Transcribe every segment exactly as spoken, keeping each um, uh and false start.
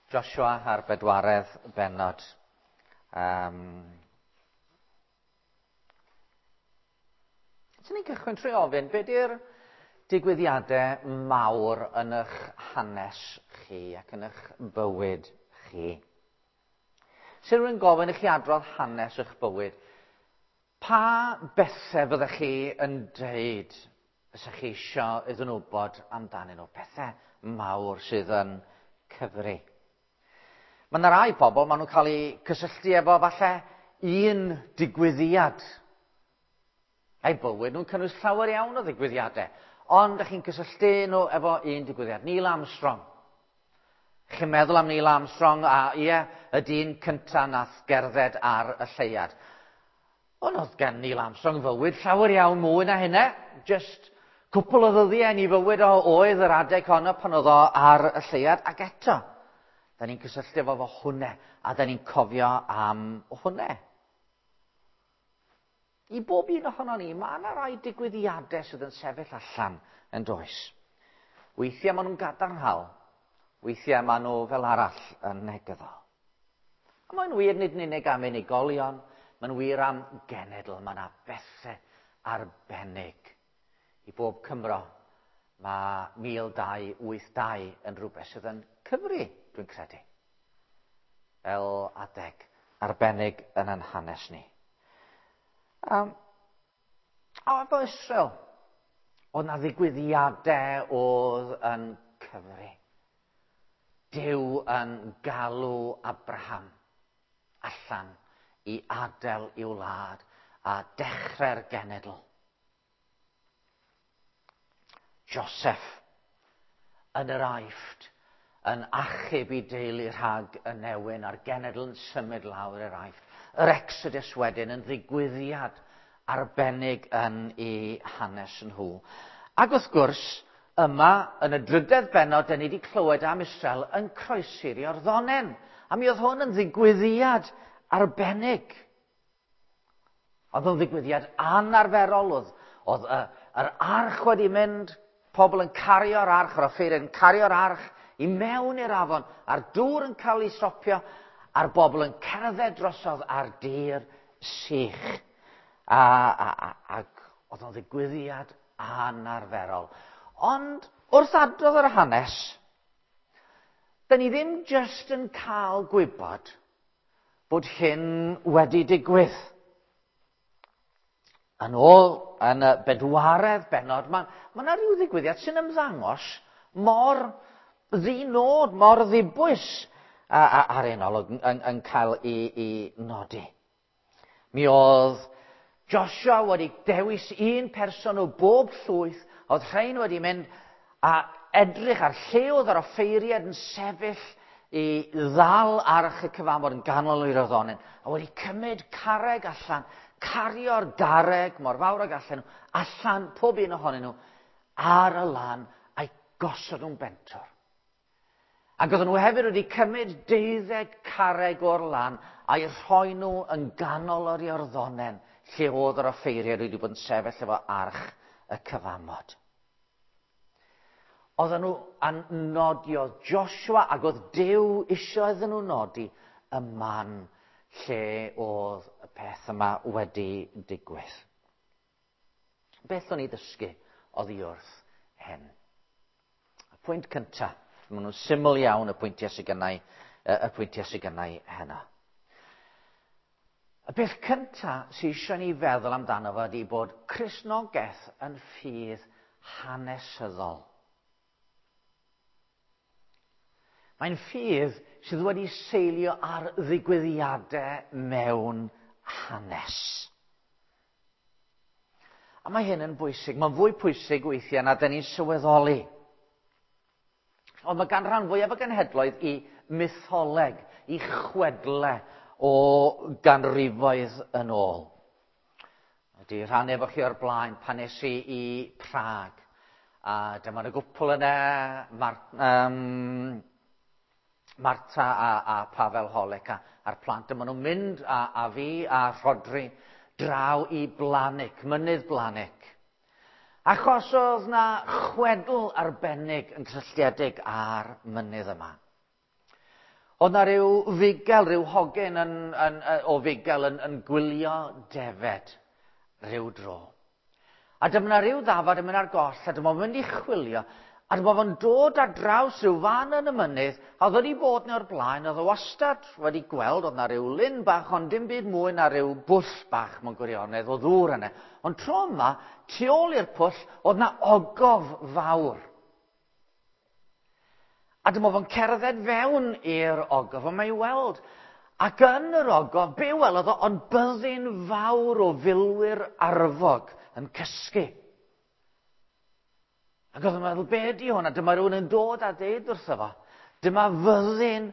Joshua a'r bedwaredd bennod. Um, Swn i'n cychwyn trwy ofyn, be di'r digwyddiadau mawr yn eich hanes chi ac yn eich bywyd chi? Sy'n rhywun gofyn i chi adrodd hanes eich bywyd, pa bethau fyddech chi yn deud fysa chi isio iddyn nhw wybod amdanyn nhw? Pethau mawr sydd yn cyfri. Mae yna rai pobl, maen nhw'n cael eu cysylltu efo falle un digwyddiad. Ei bywyd nhw'n cynnwys llawer iawn o ddigwyddiadau, ond ydych chi'n cysylltu nhw efo un digwyddiad. Neil Armstrong. Chi'n meddwl am Neil Armstrong a ie, y dyn cyntaf nath gerdded ar y lleuad. Ond oedd gen Neil Armstrong fywyd llawer iawn mwy na hynna. Just cwpl o ddyddiau yn ei fywyd o oedd yr adeg honno pan oedd o ar y lleuad, ac eto, da ni'n cysylltu efo fo hwnna, a da ni'n cofio am hwnna. I bob un ohono ni, mae yna rai digwyddiadau sydd yn sefyll allan yn does. Weithiau maen nhw'n gadarnhaol, weithiau maen nhw fel arall yn negyddol. A mae'n wir nid yn unig am unigolion, mae'n wir am genedl, mae yna bethau arbennig. I bob Cymro, mae mil dau wyth dau yn rhywbeth sydd yn cyfri, dwi'n credu, fel adeg arbennig yn ein hanes ni. Um, a efo Israel, oedd na ddigwyddiadau oedd yn cyfri. Duw yn galw Abraham allan i adael i'w wlad a dechrau'r genedl. Joseph yn yr Aifft yn achub i deulu rhag y newyn a'r genedl yn symud lawr i'r Aifft. Yr Exodus wedyn yn ddigwyddiad arbennig yn ei hanes nhw. Ac wrth gwrs, yma yn y drydedd bennod, da ni wedi clywed am Israel yn croesi'r Iorddonen. A mi oedd hwn yn ddigwyddiad arbennig. Oedd o'n ddigwyddiad anarferol. Oedd, oedd y, yr arch wedi mynd, pobl yn cario'r arch, yr offeiriad yn cario'r arch i mewn i'r afon, a'r dŵr yn cael ei stopio, a'r bobl yn cerdded drosodd ar dir sych. A, a, a, ac oedd o'n ddigwyddiad anarferol. Ond wrth adrodd yr hanes, da ni ddim jyst yn cael gwybod bod hyn wedi digwydd. Yn ôl yn y bedwaredd bennod, mae ma yna rhyw ddigwyddiad sy'n ymddangos mor ddinod, mor ddibwys a, a, ar un olwg yn, yn, yn cael ei, ei nodi. Mi oedd Joshua wedi dewis un person o bob llwyth, oedd rhain wedi mynd a edrych ar lle oedd yr offeiriad yn sefyll i ddal arch y cyfamod yn ganol yr Iorddonen, a wedi cymryd carreg allan, cario'r garreg mor fawr ag allan nhw, allan pob un ohonyn nhw, ar y lan, a'i gosod nhw'n bentwr. Ac oedden nhw hefyd wedi cymryd deuddeg carreg o'r lan a'i rhoi nhw yn ganol yr Iorddonen, lle oedd yr offeiriad wedi bod yn sefyll efo arch y cyfamod. Oedden nhw yn nodi, oedd Joshua ac oedd Duw isio iddyn nhw nodi y man lle oedd y peth yma wedi digwydd. Beth o'n i ddysgu oddi wrth hyn? Y pwynt cyntaf, maen nhw'n syml iawn y pwyntiau sydd gennau, y pwyntiau sydd gennau heno. Y peth cyntaf sydd eisiau ni feddwl amdano fo ydy bod Cristnogaeth yn ffydd hanesyddol. Mae'n ffydd sydd wedi seilio ar ddigwyddiadau mewn hanes. A mae hyn yn bwysig. Mae'n fwy pwysig weithiau na dyn ni'n sylweddoli. Ond mae gan rhan fwyaf o genhedloedd i mytholeg, i chwedle o ganrifoedd yn ôl. Wedi rhannu efo chi o'r blaen pan es i i Prag. A dyma y gwpl yna, Mar- um, Marta a, a Pavel Holek a, a'r plant. Dyma nhw'n mynd a, a fi a Rhodri draw i Blanik, mynydd Blanik. Achos oedd na chwedl arbennig yn cysylltiedig â'r mynydd yma. Oedd na ryw fugel, rhyw hogyn yn, yn, yn, o fugel yn, yn gwylio defed rhyw dro. A dyma na ryw ddafad yn mynd ar goll, a dyma fo'n mynd i chwilio, a dyma fo'n dod ar draws rhyw fan yn y mynydd, a oedd wedi bod yn o'r blaen, oedd o wastad wedi gweld, oedd na ryw lyn bach, ond dim byd mwy na ryw bwll bach mewn gwirionedd o ddŵr yna. Ond tro yma, tu ôl i'r pwll, oedd na ogof fawr. A dyma fo'n cerdded fewn i'r ogof, a mae i weld. Ac yn yr ogof, be welodd o, ond byddin fawr o filwyr arfog yn cysgu. Ac oedd o'n meddwl, be ydi hwn? A dyma rhywun yn dod a deud wrtho fo, dyma fyddin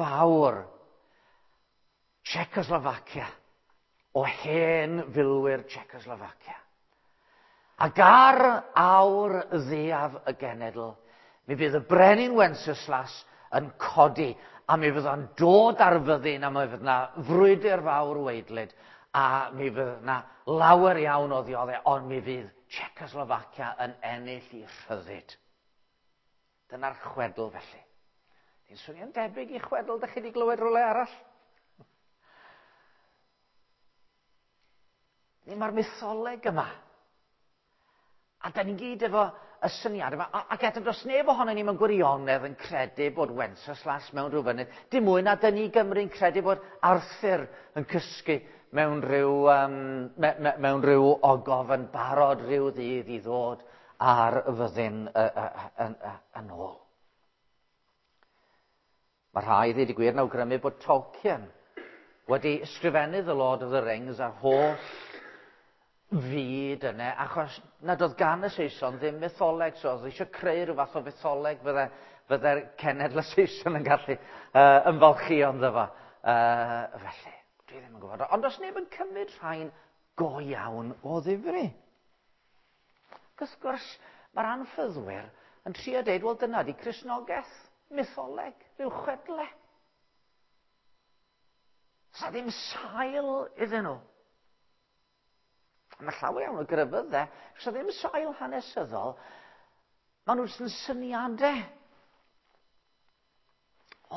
fawr Czechoslovacia, o hen filwyr Czechoslovacia. Ac ar awr ddiaf y genedl, mi fydd y brenin Wenceslas yn codi, a mi fydd o'n dod ar fyddin, a mi fydd yna frwydr fawr waedlyd, a mi fydd yna lawer iawn o ddioddef, ond mi fydd Czechoslovacia yn ennill i rhyddid. Dyna'r chwedl felly. Di'n swnio'n debyg i chwedl dych chi wedi glywed rhywle arall? Ni mae'r mytholeg yma. A da ni gyd efo y syniad yma. Ac eto does neb ohono ni mewn gwirionedd yn credu bod Wenceslas mewn rhyw fynydd. Dim mwy na dyn ni Gymru'n credu bod Arthur yn cysgu mewn rhyw, um, me, me, mewn rhyw ogof yn barod rhyw ddydd i ddod ar fyddin yn ôl. Mae rhai, ddweud y gwir, yn awgrymu bod Tolkien wedi ysgrifennu The Lord of the Rings a'r holl fyd yna, achos nad oedd gan y Saeson ddim mytholeg, so oedd eisiau creu rhyw fath o fytholeg fydde, fydde'r cenedl y Saeson yn gallu uh, ymfalchïo ynddo fo. Uh, felly, dwi ddim yn gwybod. Ond os neb yn cymryd rhain go iawn o ddifri. Ac wrth gwrs, mae'r anffyddwyr yn trio deud, wel dyna di Cristnogaeth, mytholeg, rhyw chwedle. Sa ddim sail iddyn nhw. Mae llawer iawn o grefyddau, so ddim sail hanesyddol, maen nhw jyst yn syniadau.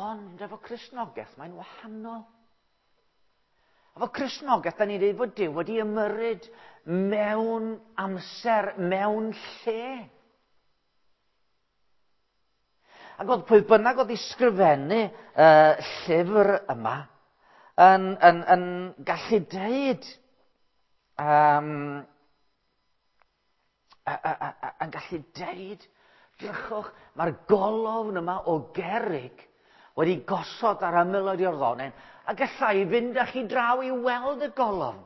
Ond efo Cristnogaeth, mae'n wahanol. Efo Cristnogaeth, da ni'n dweud bod Duw wedi ymyrryd mewn amser, mewn lle. Ac oedd pwy bynnag oedd i sgrifennu uh, llyfr yma yn, yn, yn gallu deud, Um, a, a, a, yn gallu deud, drychwch, mae'r golofn yma o gerrig wedi gosod ar ymyl yr Iorddonen, a gallai fynd â chi draw i weld y golofn,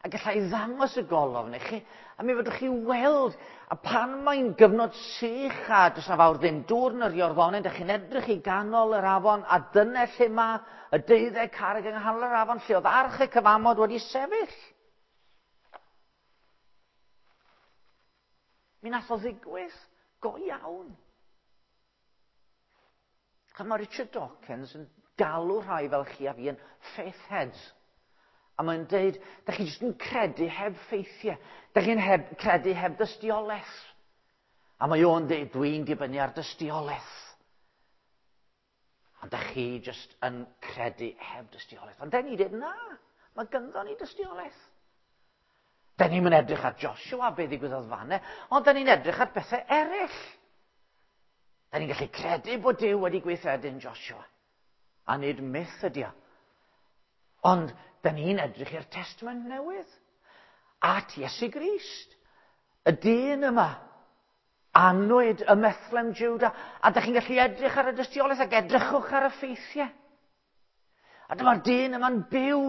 a gallai ddangos y golofn i chi, a mi fedrwch chi weld, a pan mae'n gyfnod sych a does na fawr ddim dŵr yn yr Iorddonen, dych chi'n edrych i ganol yr afon, a dyna lle mae y deuddeg carreg yng nghanol yr afon, lle oedd arch y cyfamod wedi sefyll. Mi nath o ddigwydd go iawn. A mae Richard Dawkins yn galw rhai fel chi a fi yn faith heads. A mae'n deud, da chi jyst yn credu heb ffeithiau. Da chi'n heb, credu heb dystiolaeth. A mae o'n deud, dwi'n dibynnu ar dystiolaeth. Ond da chi jyst yn credu heb dystiolaeth. Ond da ni dweud, na, mae ganddo ni dystiolaeth. Da ni'n edrych ar Joshua, be ddigwyddodd fanne, ond da ni'n edrych ar bethau eraill. Da ni'n gallu credu bod Duw wedi gweithredu yn Joshua, a nid myth ydi o. Ond da ni'n edrych i'r Testament Newydd, at Iesu Grist, y dyn yma, anwyd ym Methlehem Juda, a da chi'n gallu edrych ar y dystiolaeth ac edrychwch ar y ffeithiau. A dyma'r dyn yma'n byw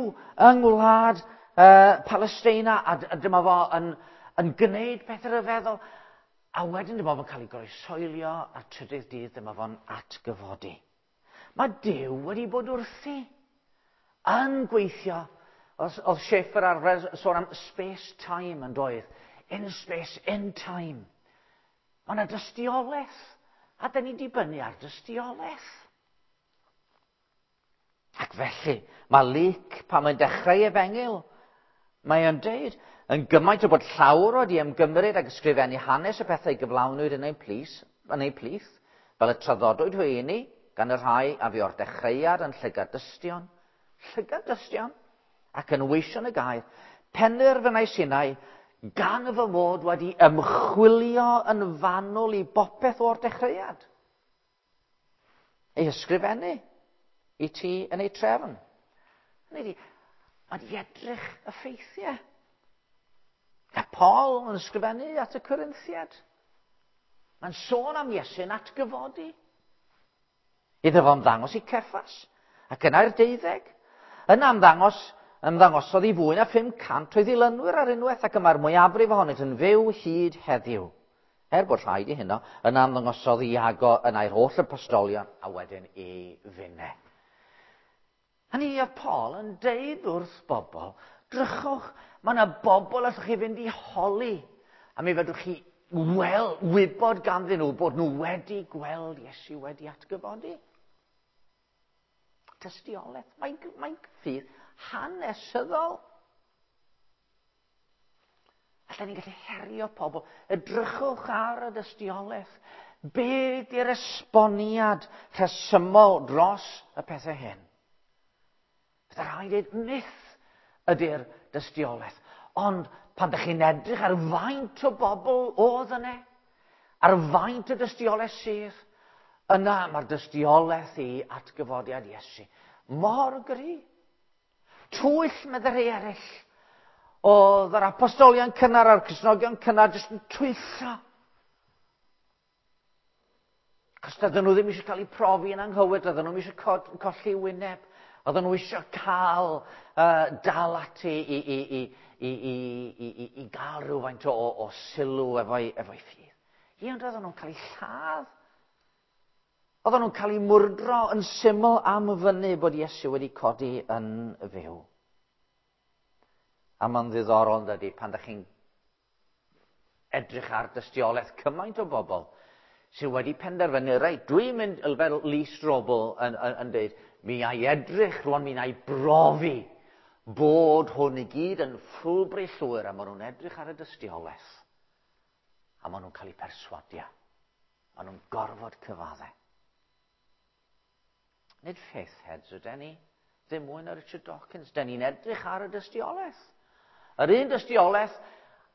yng ngwlad Uh, Palestina, a dyma fo yn, yn gwneud pethau rhyfeddol, a wedyn dyma fo'n cael ei groeshoelio, a'r trydydd dydd dyma fo'n atgyfodi. Mae Duw wedi bod wrthi yn gweithio. Oedd, oedd Schaeffer arfer sôn am space-time yn doedd. In space, in time. Mae yna dystiolaeth, a da ni'n dibynnu ar dystiolaeth. Ac felly, mae Luc, pan mae'n dechrau efengyl, mae o'n deud, yn gymaint o bod llawer wedi ymgymryd ag ysgrifennu hanes y pethau gyflawnwyd yn ein plith, yn ein plith, fel y traddodwyd hwy i ni, gan y rhai a fi o'r dechreuad yn llygad dystion, llygad dystion, ac yn weision y gair, penderfynais innau, gan fy mod wedi ymchwilio yn fanwl i bopeth o'r dechreuad. Ei ysgrifennu i ti yn ei trefn. Hynny ydi, mae di edrych y ffeithiau. A Paul yn ysgrifennu at y Corinthiad. Mae'n sôn am Iesu'n atgyfodi. Iddo fo ymddangos i Ceffas, ac yna i'r deuddeg. Yna ymddangos, ymddangosodd i fwy na phum cant o'i ddilynwyr ar unwaith, ac y mae'r mwyafrif ohonynt yn fyw hyd heddiw. Er bod rhaid i hynno, yna ymddangosodd Iago yna i'r holl apostolion, a wedyn i finne. Hynny oedd Paul yn deud wrth bobl, drychwch, mae yna bobl allwch chi fynd i holi, a mi fedrwch chi wel, wybod ganddyn nhw bod nhw wedi gweld Iesu wedi atgyfodi. Tystiolaeth, mae'n mae ffydd hanesyddol. Allan ni'n gallu herio pobl. Edrychwch ar y dystiolaeth. Be di'r esboniad rhesymol dros y pethau hyn? Bydde rhaid dweud myth ydy'r dystiolaeth. Ond pan ydych chi'n edrych ar faint o bobl oedd yna, ar faint o dystiolaeth sydd, yna mae'r dystiolaeth i atgyfodiad Iesu mor gry. Twyll meddai rhai eraill. Oedd yr apostolion cynnar a'r Cristnogion cynnar jyst yn twyllo. Cos doedden nhw ddim eisiau cael eu profi yn anghywir, doedden nhw ddim eisiau colli wyneb. Oedden nhw eisiau cael uh, dal ati i, i, i, i, i, i, i, i gael rhywfaint o, o sylw efo'i efo ffydd. Ie, ond oedden nhw'n cael eu lladd. Oedden nhw'n cael eu mwrdro yn syml am fyny bod Iesu wedi codi yn fyw. A mae'n ddiddorol, dydy, pan ydych chi'n edrych ar dystiolaeth cymaint o bobl sydd wedi penderfynu, reit, dwi'n mynd, fel Lee Strobel yn, yn, yn dweud, mi ai edrych rwan, mi ai brofi bod hwn i gyd yn ffwlbri llwyr, a maen nhw'n edrych ar y dystiolaeth, a maen nhw'n cael eu perswadio. Maen nhw'n gorfod cyfadde. Nid faith heads ydyn ni, ddim mwy na Richard Dawkins. Den ni'n edrych ar y dystiolaeth. Yr un dystiolaeth,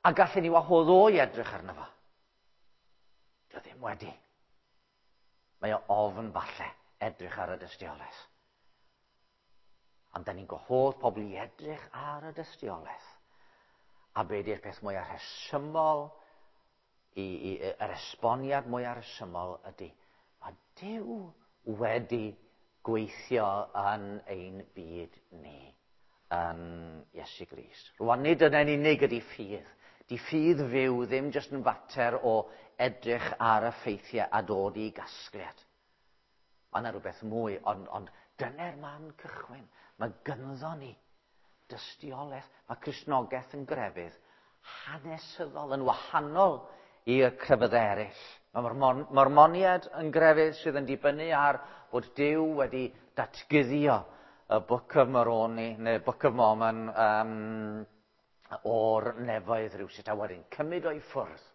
a gallen ni wahodd o i edrych arno fo. Dio ddim wedi. Mae o ofn falle edrych ar y dystiolaeth. Ond da ni'n gwahodd pobl i edrych ar y dystiolaeth. A be di'r peth mwyaf rhesymol, i, i, yr esboniad mwyaf rhesymol ydy, mae Duw wedi gweithio yn ein byd ni, yn Iesu Grist. Rwan nid yna'n unig ydy ffydd. Di ffydd fyw ddim jyst yn fater o edrych ar y ffeithiau a dod i gasgliad. Mae yna rhywbeth mwy, ond, ond dyna'r man cychwyn. Mae gynddo ni dystiolaeth. Mae Cristnogaeth yn grefydd hanesyddol, yn wahanol i'r crefyddau eraill. Mae Mormoniaid yn grefydd sydd yn dibynnu ar bod Duw wedi datguddio y Book of Moroni, neu Book of Mormon, um, o'r nefoedd rhywsut, a wedyn cymryd o'i ffwrdd.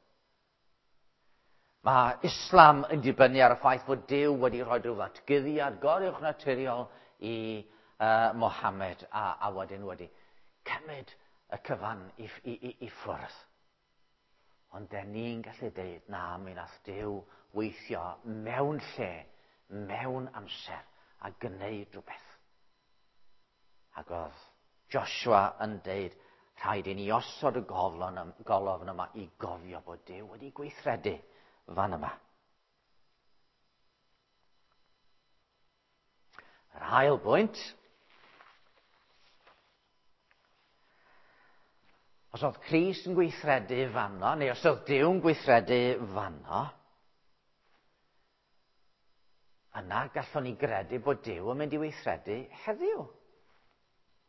Mae Islam yn dibynnu ar y ffaith fod Duw wedi rhoi rhyw ddatguddiad goruwchnaturiol i uh, Mohammed, a, a wedyn wedi cymryd y cyfan i, i, i, i ffwrdd. Ond den ni'n gallu deud, na, mi nath Duw weithio mewn lle, mewn amser, a gwneud rhywbeth. Ac oedd Joshua yn deud, rhaid i ni osod y goflon, golofn yma i gofio bod Duw wedi gweithredu fan yma. Yr ail bwynt, os oedd Crist yn gweithredu fanno, neu os oedd Duw'n gweithredu fanno, yna gallwn ni gredu bod Duw yn mynd i weithredu heddiw.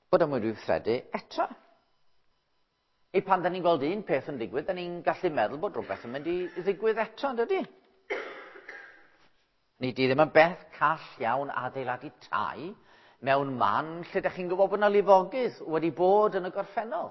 Bod o'n mynd i weithredu eto. I pan da ni'n gweld un peth yn digwydd, da ni'n gallu meddwl bod rhywbeth yn mynd i ddigwydd eto, yn dydy? Ni di ddim yn beth call iawn adeiladu tai mewn man lle da chi'n gwybod bod yna lifogydd wedi bod yn y gorffennol.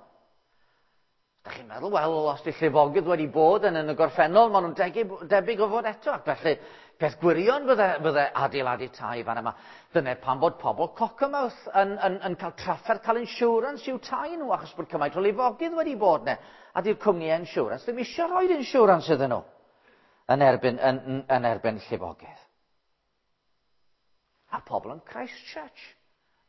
Da chi'n meddwl, wel, os di llifogydd wedi bod yn, yn y gorffennol, maen nhw'n debyg, debyg o fod eto. Ac felly, peth gwirion fydde, fydde adeiladu tai fan yma. Dyna pam bod pobl Cockermouth yn, yn, yn cael trafferth cael insurance i'w tai nhw, achos bod cymaint o lifogydd wedi bod 'ne. A di'r cwmni insurance ddim eisiau rhoi insurance iddyn nhw yn erbyn, yn, yn erbyn llifogydd. A pobl yn Christchurch,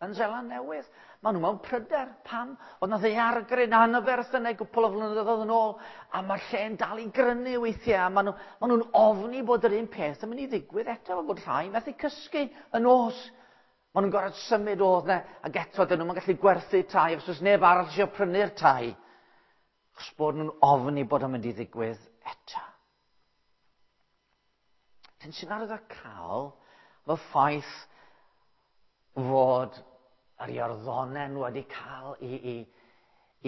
yn Seland Newydd, maen nhw mewn pryder. Pam? Oedd 'na ddaeargryn anferth yna gwpl o flynyddoedd yn ôl, a mae'r lle'n dal i grynu weithiau, a maen nhw, maen nhw'n ofni bod yr un peth yn mynd i ddigwydd eto, bod rhai methu cysgu y nos. Maen nhw'n gorfod symud o'dd 'na, ac eto dyn nhw'n gallu gwerthu tai, os oes neb arall eisiau prynu'r tai. Achos bod nhw'n ofni bod o'n mynd i ddigwydd eto. Dyn sy'n arwyddocaol y ffaith fod yr Iorddonen wedi cael i, i,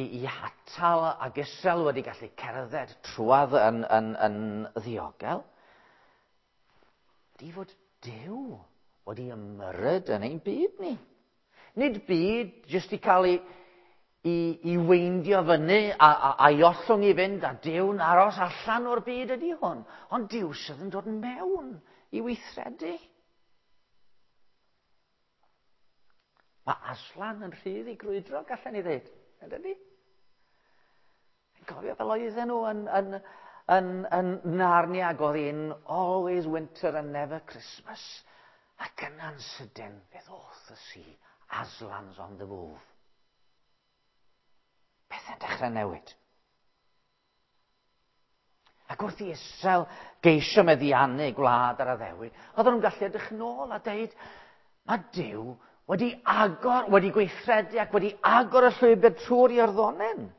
i, i hatal ac Israel wedi gallu cerdded trwadd yn, yn, yn ddiogel, di fod Duw wedi ymyrryd yn ein byd ni. Nid byd jyst i cael ei, i, i weindio fyny a, a, a'i ollwng i fynd a Duw'n aros allan o'r byd ydy hwn, ond Duw sydd yn dod mewn i weithredu. Mae Aslan yn rhydd i grwydro, gallen ni ddweud, yn dydi? Yn cofio fel oedden nhw yn, yn, yn, yn Narnia, ac oedd hi'n always winter and never Christmas. Ac yna'n sydyn, fe ddoth y si, Aslan's on the move. Pethau'n dechrau newid. Ac wrth i Israel geisio meddiannu gwlad yr addewid, oedden nhw'n gallu edrych nôl a deud, mae Duw wedi agor, wedi gweithredu ac wedi agor y llwybr trwy'r Iorddonen.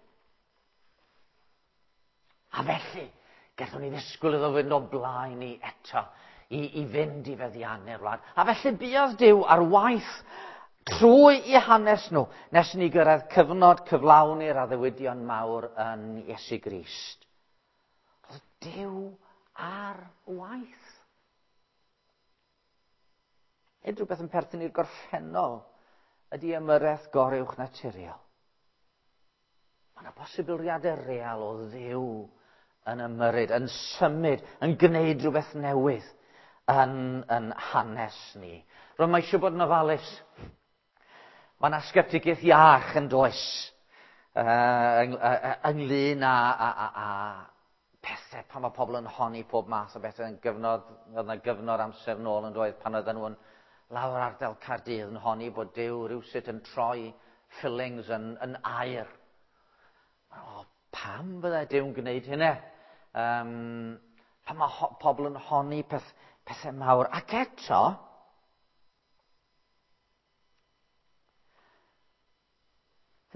A felly, gallwn ni ddisgwyl iddo fynd o blaen ni eto i, i fynd i feddiannu'r wlad. A felly buodd Duw ar waith trwy i hanes nhw, nes ni gyrraedd cyfnod cyflawni'r addewidion mawr yn Iesu Grist. Oedd Duw ar waith. Nid rhywbeth yn perthyn i'r gorffennol ydy ymyrraeth goruwch naturiol. Mae yna posibiliadau real o Dduw yn ymyrryd, yn symud, yn gwneud rhywbeth newydd yn, yn hanes ni. Rwy'n mae eisiau bod yn ofalus. Mae yna sgeptigaeth iach yn does uh, ynglyn â, â, â, â pethau pan mae pobl yn honni pob math o bethau yn gyfnod, oedd yna gyfnod amser nôl yn doedd pan oedden nhw'n lawr ardal Caerdydd yn honni bod Duw rhywsut yn troi fillings yn, yn aur. O, pam byddai Duw'n gwneud hynna? Um, pan mae ho- pobl yn honni peth, pethau mawr. Ac eto,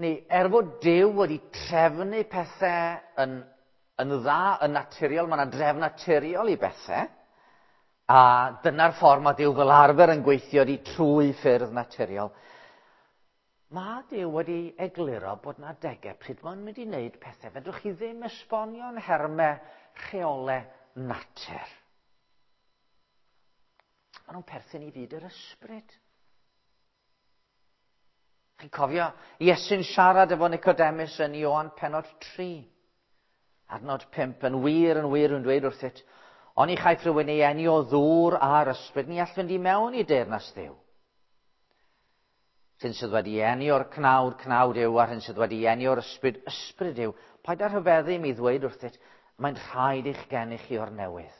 ni, er fod Duw wedi trefnu pethau yn, yn dda, yn naturiol, mae yna drefn naturiol i bethau, a dyna'r ffordd mae Duw fel arfer yn gweithio di trwy ffyrdd naturiol. Mae Duw wedi egluro bod yna adegau pryd mae'n mynd i wneud pethau. Fedrwch chi ddim esbonio'n nhermau rheolau natur. Maen nhw'n perthyn i fyd yr ysbryd. Chi'n cofio Iesu'n siarad efo Nicodemus yn Ioan pennod tri, adnod pump, yn wir, yn wir, yn dweud wrthyt, oni chaiff rhywun ei eni o ddŵr a'r ysbryd, ni all fynd i mewn i deyrnas Dduw. Hyn sydd wedi eni o'r cnawd, cnawd yw, a'r hyn sydd wedi eni o'r ysbryd, ysbryd yw. Paid â rhyfeddu mi ddweud wrthyt, mae'n rhaid i'ch geni chi o'r newydd.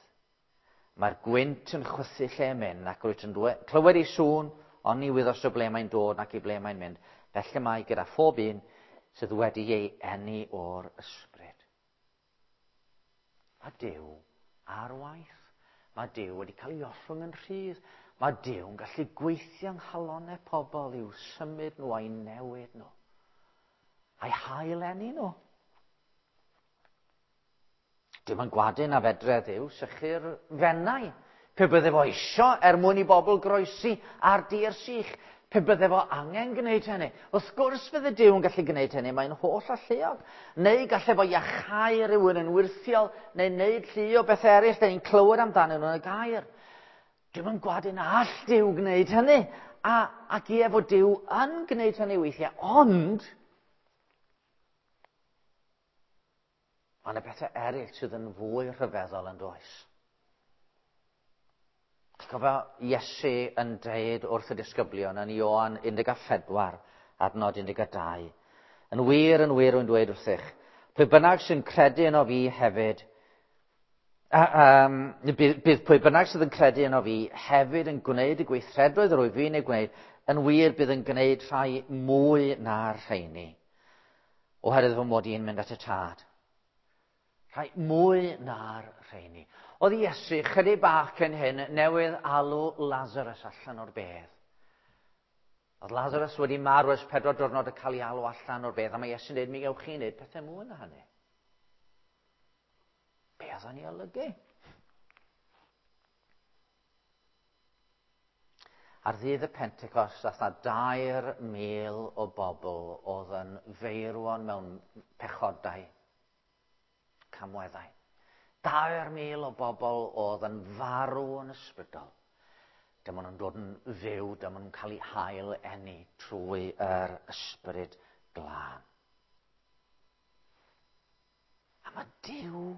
Mae'r gwynt yn chwythu lle mynd, ac rwyt yn clywed ei sŵn, ond ni wyddos o ble mae'n dod ac i ble mae'n mynd. Felly mae gyda phob un sydd wedi ei eni o'r ysbryd. Mae Duw ar waith. Mae Duw wedi cael ei ollwng yn rhydd. Mae Duw yn gallu gweithio yng nghalonnau pobl i'w symud nhw a'i newid nhw. A'i hail-eni nhw. Dim yn gwadu na fedre Dduw sychu'r Fenai. Pe bydde fo isio er mwyn i bobl groesi ar dir sych. Pe bydde fo angen gwneud hynny. Wrth gwrs fydde Duw yn gallu gwneud hynny, mae'n holl alluog. Neu gallai fo iachau rhywun yn wyrthiol, neu wneud llu o bethau eraill, neu ni'n clywed amdanyn nhw yn y gair. Dwi'm yn gwadu na all Duw gwneud hynny. A, ac ie fod Duw yn gwneud hynny weithiau, ond mae yna bethau eraill sydd yn fwy rhyfeddol yn does. Chi'n cofio Iesu yn deud wrth y disgyblion yn Ioan un deg pedwar, adnod un deg dau. Yn wir, yn wir, rwy'n dweud wrthych, pwy bynnag sy'n credu yno fi hefyd, a, um, bydd, bydd pwy bynnag sydd yn credu yno fi hefyd yn gwneud y gweithredoedd yr wyf fi'n ei gwneud, yn wir bydd yn gwneud rhai mwy na'r rheini, oherwydd fy mod i'n mynd at y Tad. Rhai mwy na'r rheini. Oedd Iesu, chydig bach cyn hyn, newydd alw Lazarus allan o'r bedd. Oedd Lazarus wedi marw ers pedwar diwrnod y cael ei alw allan o'r bedd, a mae Iesu'n dweud, mi gewch chi wneud pethau mwy na hynny. Be oedd o'n ei olygu? Ar ddydd y Pentecost, dath 'na dair mil o bobl oedd yn feirwon mewn pechodau, camweddau. Dair mil o bobl oedd yn farw yn ysbrydol. Dyma nhw'n dod yn fyw, dyma nhw'n cael eu hail eni trwy yr Ysbryd Glân. A mae Duw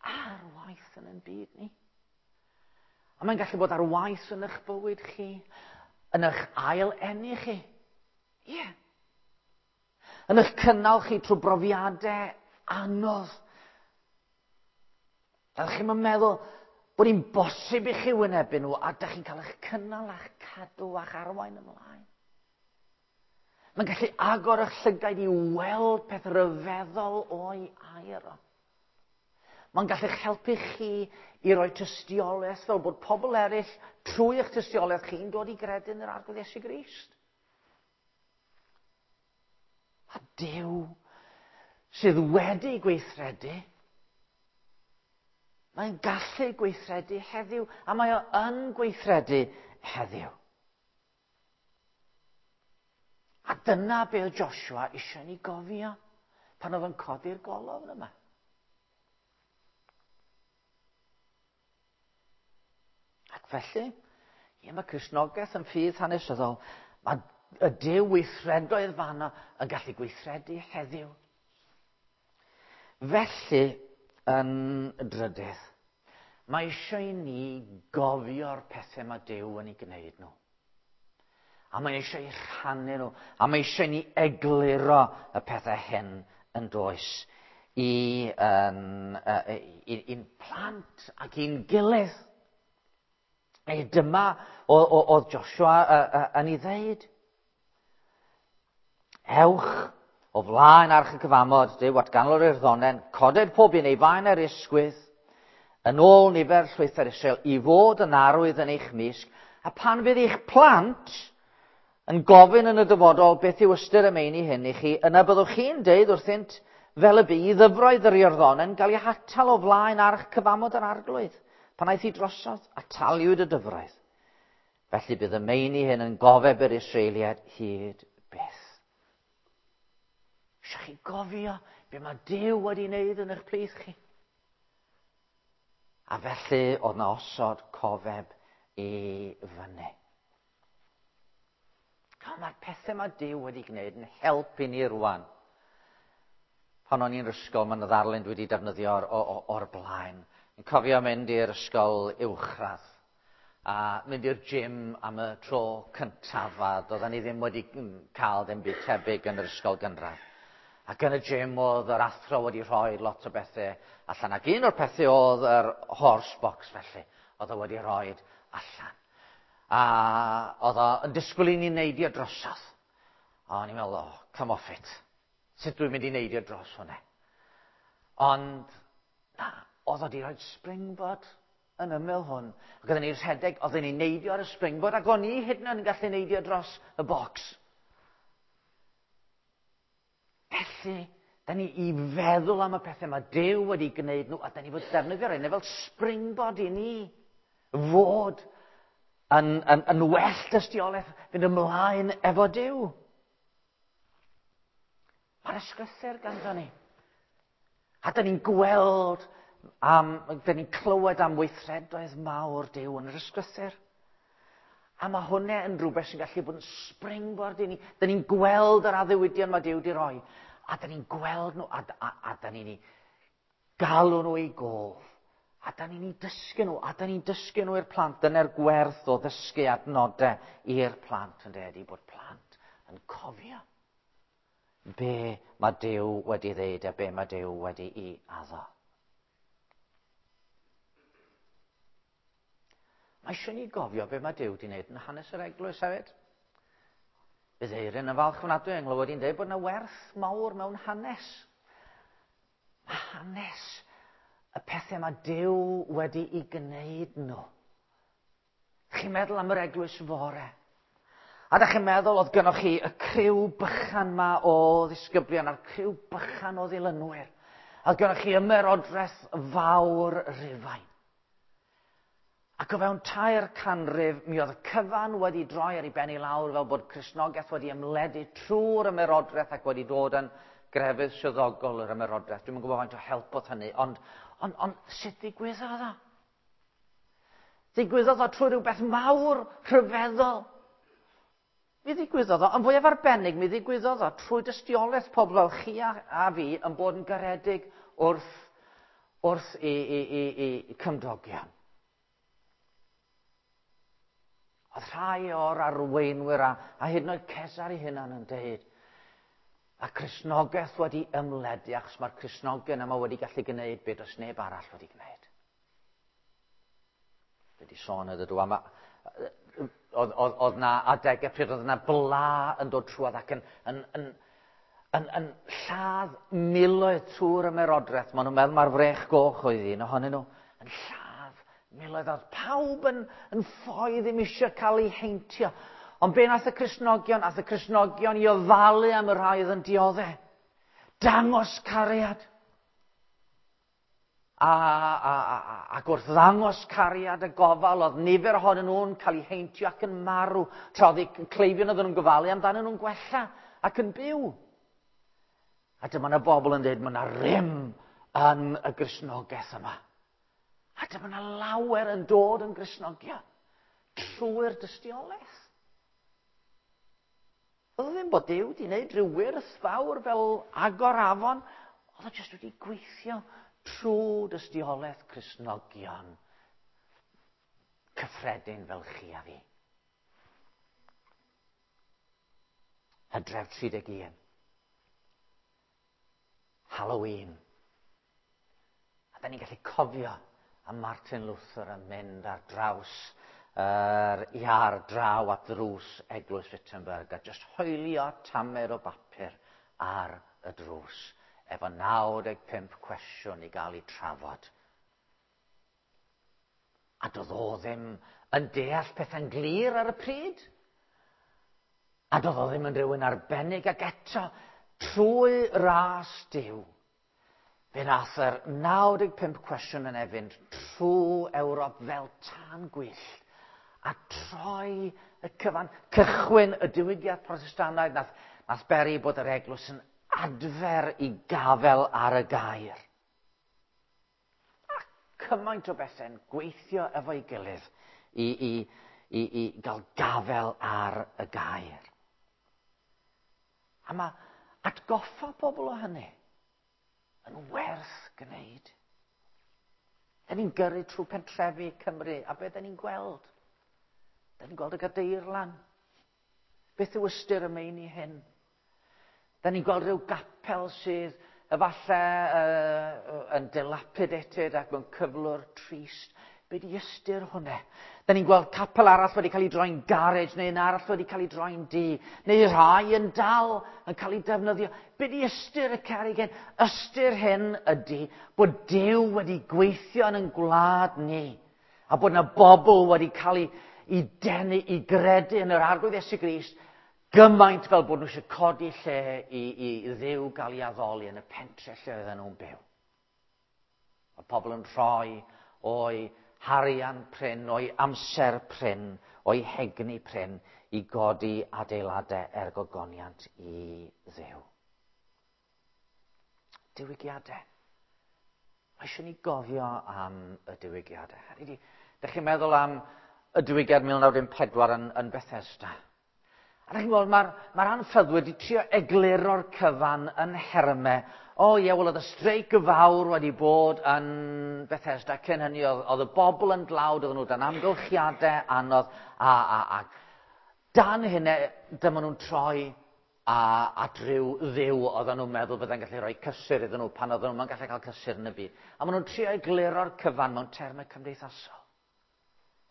ar waith yn ein byd ni. A mae'n gallu bod ar waith yn eich bywyd chi, yn eich ail eni chi. Ie. Yeah. Yn eich cynnal chi trwy brofiadau anodd. A chi'n meddwl bod hi'n bosib i chi wynebu nhw, a dych chi'n cael eich cynnal a'ch cadw a'ch arwain ymlaen. Mae'n gallu agor eich llygaid i weld peth ryfeddol o'i air o. Mae'n gallu'ch helpu chi i roi tystiolaeth fel bod pobl eraill trwy eich tystiolaeth chi'n dod i gredu yn yr Arglwydd Iesu Grist. A Duw sydd wedi gweithredu, mae'n gallu gweithredu heddiw, a mae o yn gweithredu heddiw. A dyna be oedd Joshua eisiau ni gofio pan oedd yn codi'r golofn yma. Ac felly, ie, mae Cristnogaeth yn ffydd hanesyddol, mae y Duw weithredoedd fanno yn gallu gweithredu heddiw. Felly, yn drydydd, mae eisiau i ni gofio'r pethau mae Duw yn ei gwneud nhw. A mae eisiau i rhannu nhw, a mae eisiau i ni egluro y pethau hyn yn does i, um, i'n plant ac i'n gilydd. E dyma oedd Joshua yn ei ddeud. Ewch o flaen arch y cyfamod, Duw at ganol yr iorddonen, coded pob un ei faen ar ysgwydd, yn ôl nifer llwythau'r Israel, i fod yn arwydd yn eich mysg, a pan fydd eich plant yn gofyn yn y dyfodol beth yw ystyr y meini hyn i chi, yna byddwch chi'n deud wrthynt fel y bu i ddyfroedd yr Iorddonen gael eu hatal o flaen arch cyfamod yr Arglwydd, pan aeth hi drosodd, ataliwyd y dyfroedd. Felly bydd y meini hyn yn gofeb yr Israeliaid hyd byth. Eisiau chi gofio be mae Duw wedi wneud yn eich plith chi. A felly oedd na osod cofeb i fyny. Mae'r pethau mae Duw wedi gwneud yn helpu ni rwan. Pan o'n i'n ysgol, mae yna ddarlun dwi wedi defnyddio o'r, o'r blaen. Yn cofio mynd i'r ysgol uwchradd a mynd i'r gym am y tro cyntaf, a doedden ni ddim wedi cael dim byd tebyg yn yr ysgol gynradd. Ac yn y gym oedd yr athro wedi rhoi lot o bethau allan. Ac un o'r pethau oedd yr horse box felly, oedd o wedi rhoi allan. A oedd o yn disgwyl i ni neidio drosodd. A o'n i'n meddwl, oh, come off it. Sut dwi'n mynd i neidio dros hwnna? Ond, na, oedd o wedi rhoi springboard yn ymyl hwn. Ac oedden ni'n rhedeg, oedden ni'n neidio ar y springboard, ac o'n i hyd yn oed yn gallu neidio dros y box. Felly, da ni i feddwl am y pethau mae Duw wedi gwneud nhw, a da ni fod defnyddio'r hynny fel springboard i ni fod yn, yn, yn well dystiolaeth fynd ymlaen efo Duw. Mae'r ysgrythur ganddo ni. A da ni'n gweld, am, da ni'n clywed am weithredoedd mawr Duw yn yr ysgrythur. A mae hwnna yn rhywbeth sy'n gallu bod yn springboard i ni. Da ni'n gweld yr addewidion mae Duw wedi rhoi. A da ni'n gweld nhw, a, a, a da ni'n galw nhw i gof. A da ni'n ei dysgu nhw, a da ni'n dysgu nhw i'r plant. Dyna'r gwerth o ddysgu adnodau i'r plant yn dweud, bod plant yn cofio be mae Duw wedi ddeud a be mae Duw wedi'i addo. Mae eisiau ni gofio be mae Duw wedi wneud yn hanes yr eglwys hefyd. Bydd Eirin yn falch ofnadwy yng nghlywed i'n dweud bod yna werth mawr mewn hanes. Mae hanes y pethau mae Duw wedi'i gwneud nhw. Chi'n meddwl am yr eglwys fore. A da chi'n meddwl oedd gynnoch chi y criw bychan ma o ddisgyblion a'r criw bychan o ddilynwyr. A oedd gynnoch chi ymerodraeth fawr Rufain. Ac o fewn tair canrif, mi oedd y cyfan wedi droi ar ei ben i lawr fel bod Cristnogaeth wedi ymledu trwy'r ymerodraeth ac wedi dod yn grefydd swyddogol yr ymerodraeth. Dwi'm yn gwybod faint o help oedd hynny, ond, ond, ond sut ddigwyddodd o? Ddigwyddodd o trwy rhywbeth mawr, rhyfeddol. Mi ddigwyddodd o, yn fwyaf arbennig, mi ddigwyddodd o trwy dystiolaeth pobl fel chi a, a fi yn bod yn garedig wrth, wrth i, i, i, i cymdogion. Oedd rhai o'r arweinwyr a, a hyd yn oed Cesar ei hunan yn deud, a Cristnogaeth wedi ymledu achos mae'r Cristnogion yma wedi gallu gwneud beth oes neb arall wedi gwneud. Dwi wedi sôn ydw dwi am oedd, oedd, oedd na adegau pryd oedd na bla yn dod trwodd ac yn, yn, yn, yn, yn lladd miloedd trwy'r ymerodraeth. Maen nhw'n meddwl mae'r frech goch oedd un ohonyn nhw. Yn lladd miloedd. Oedd pawb yn, yn ffoi ddim eisiau cael ei heintio. Ond be nath y Cristnogion? Nath y Cristnogion i ofalu am y rhai oedd yn dioddef. Dangos cariad. A, a, a, ac wrth ddangos cariad y gofal, oedd nifer ohonyn nhw'n cael eu heintio ac yn marw. Tra oedd eu cleifion oedden nhw'n gofalu amdanyn nhw'n gwella ac yn byw. A dyma yna bobl yn dweud, mae yna rym yn y Gristnogaeth yma. A dyma yna lawer yn dod yn Gristnogion trwy'r dystiolaeth. Oedd o ddim bod Duw wedi gwneud rhyw wyrth fawr fel agor afon. Oedd o jyst wedi gweithio trwy dystiolaeth Cristnogion cyffredin fel chi a fi. Hydref tri deg un. Halloween. A da ni'n gallu cofio am Martin Luther yn mynd ar draws yr iar draw at ddrws Eglwys Wittenberg a jyst hoelio tamer o bapur ar y drws efo naw deg pump cwestiwn i gael ei trafod. A doedd o ddim yn deall pethau'n glir ar y pryd. A doedd o ddim yn rhywun arbennig ac eto trwy ras Duw. Fe nath yr naw deg pump cwestiwn yn efynd trwy Ewrop fel tân gwyllt a troi y cyfan, cychwyn y diwygiad Protestannaidd nath, nath beri bod yr eglwys yn adfer i gafel ar y gair. A cymaint o bethau'n gweithio efo'i gilydd i, i, i, i gael gafel ar y gair. A mae atgoffa pobl o hynny yn werth gwneud. Da ni'n gyrru trwy pentrefi Cymru, a beth da ni'n gweld? Da ni'n gweld y gadeirlan. Beth yw ystyr y meini hyn? Da ni'n gweld rhyw gapel sydd efallai uh, yn dilapidated ac mewn cyflwr trist. Be di ystyr hwnna? Da ni'n gweld capel arall wedi cael ei droi'n garej, neu un arall wedi cael ei droi'n dŷ, neu rhai yn dal yn cael ei defnyddio. Be di ystyr y cerrig hyn? Ystyr hyn ydy bod Duw wedi gweithio yn ein gwlad ni, a bod yna bobl wedi cael ei, ei denu i gredu yn yr Arglwydd Iesu Grist, gymaint fel bod nhw eisiau codi lle i, i Dduw gael ei addoli yn y pentre lle oedden nhw'n byw. Mae pobl yn rhoi o'i harian prin, o'i amser prin, o'i hegni prin i godi adeiladau er gogoniant i Dduw. Diwygiadau. Mae eisiau ni gofio am y diwygiadau. Hynny ydi, dych chi'n meddwl am y diwygiad mil naw dim pedwar yn, yn Bethesda. A chi'n gweld, mae'r mae anffyddwyr wedi trio egluro'r cyfan yn hermau. O ie, wel oedd y streic fawr wedi bod yn Bethesda cyn hynny, oedd, oedd y bobl yn dlawd, oedden nhw dan amgylchiadau anodd, a, a, a dan hynny, dyma nhw'n troi a, at ryw dduw oedden nhw'n meddwl byddai'n gallu rhoi cysur iddyn nhw pan oedden nhw'n gallu cael cysur yn y byd. A maen nhw'n trio egluro'r cyfan mewn termau cymdeithasol.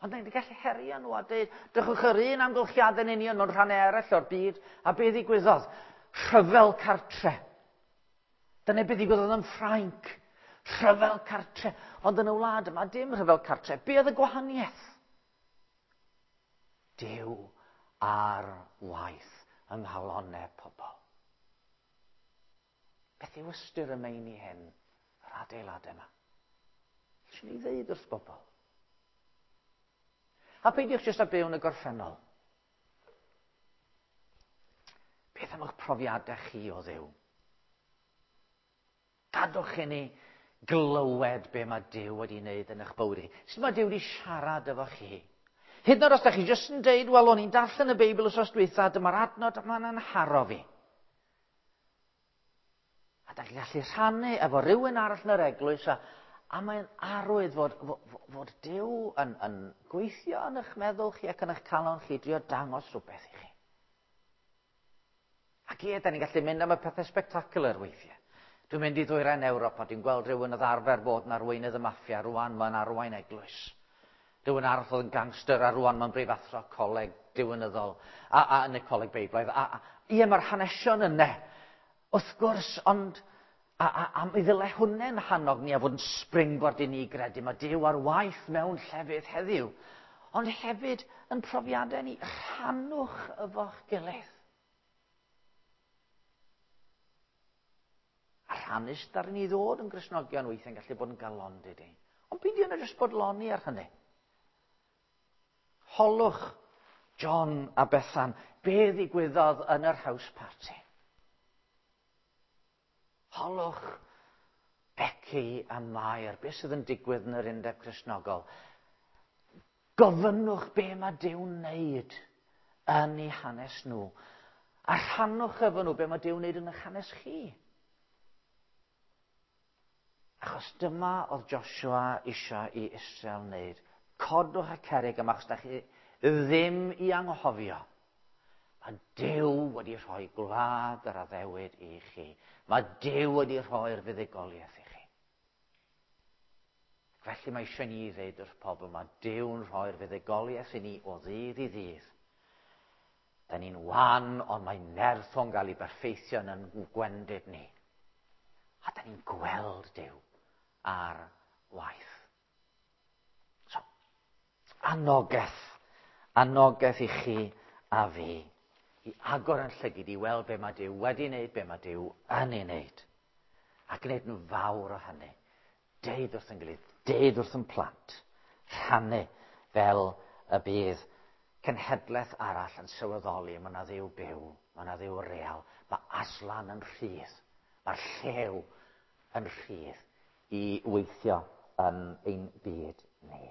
Ond ni'n gallu herio nhw a dweud, drychwch yr un amgylchiadau'n union mewn rhannau eraill o'r byd, a be ddigwyddodd? Rhyfel cartre. Dyna be ddigwyddodd yn Ffrainc. Rhyfel cartre. Ond yn y wlad yma, dim rhyfel cartre. Be oedd y gwahaniaeth? Duw ar waith yng nghalonnau pobl. Beth yw ystyr y meini hyn, yr adeiladau yma? Swn i ddeud wrth bobl. A peidiwch jyst â byw yn y gorffennol. Beth am eich profiadau chi o Dduw? Gadwch i ni glywed be mae Duw wedi wneud yn eich bywyd chi. Sut mae Duw wedi siarad efo chi? Hyd yn oed os da chi jyst yn deud, wel, o'n i'n darllen y Beibl wythnos dwytha, dyma'r adnod yma'n anharo fi. A da chi'n gallu rhannu efo rhywun arall yn yr eglwys, a, a mae'n arwydd fod, fod, fod Duw yn, yn gweithio yn eich meddwl chi ac yn eich calon chi, drio dangos rhywbeth i chi. Ac ie, da ni'n gallu mynd am y pethau spectacular weithiau. Dwi'n mynd i ddwyrain Ewrop a dwi'n gweld rhywun oedd arfer bod yn arweinydd y maffia, rwan mae'n arwain eglwys. Rhywun arall oedd yn gangster a rwan mae'n brifathro coleg diwinyddol a, a yn y coleg Beiblaidd. A, a, ie, mae'r hanesion yna, wrth gwrs, ond a, a, a mi ddyle hwnna'n hannog ni a fod yn springboard i ni gredu. Mae Duw ar waith mewn llefydd heddiw. Ond hefyd yn profiadau ni, rhannwch efo'ch gilydd. A rhannu sydd ar ni ddod yn Gristnogion weithiau'n gallu bod yn galondid i. Ond beidio na jyst bodloni ar hynny. Holwch John a Bethan, be ddigwyddodd yn yr house party? Holwch Becky a Mair, be sydd yn digwydd yn yr undeb Cristnogol? Gofynnwch be mae Duw'n wneud yn eu hanes nhw. A rhannwch efo nhw be mae Duw'n wneud yn eich hanes chi. Achos dyma oedd Joshua eisiau i Israel wneud. Codwch y cerrig yma, achos da chi ddim i anghofio. Mae Duw wedi rhoi gwlad yr addewid i chi. Mae Duw wedi rhoi'r fuddugoliaeth i chi. Felly mae eisiau ni ddeud wrth pobl, mae Duw'n rhoi'r fuddugoliaeth i ni o ddydd i ddydd. Da ni'n wan, ond mae nerth o'n gael ei berffeithio yn gwendid ni. A da ni'n gweld Duw ar waith. So, anogaeth. Anogaeth i chi a fi. I agor yn llygid i weld be mae Duw wedi wneud, be mae Duw yn ei wneud. A gwneud yn fawr o hynny. Deud wrth yn gilydd, deud wrth yn plant. Rhannu fel y bydd cenhedlaeth arall yn sylweddoli mae yna Dduw byw, mae yna Dduw real, mae Aslan yn rhydd, mae'r llew yn rhydd i weithio yn ein byd ni.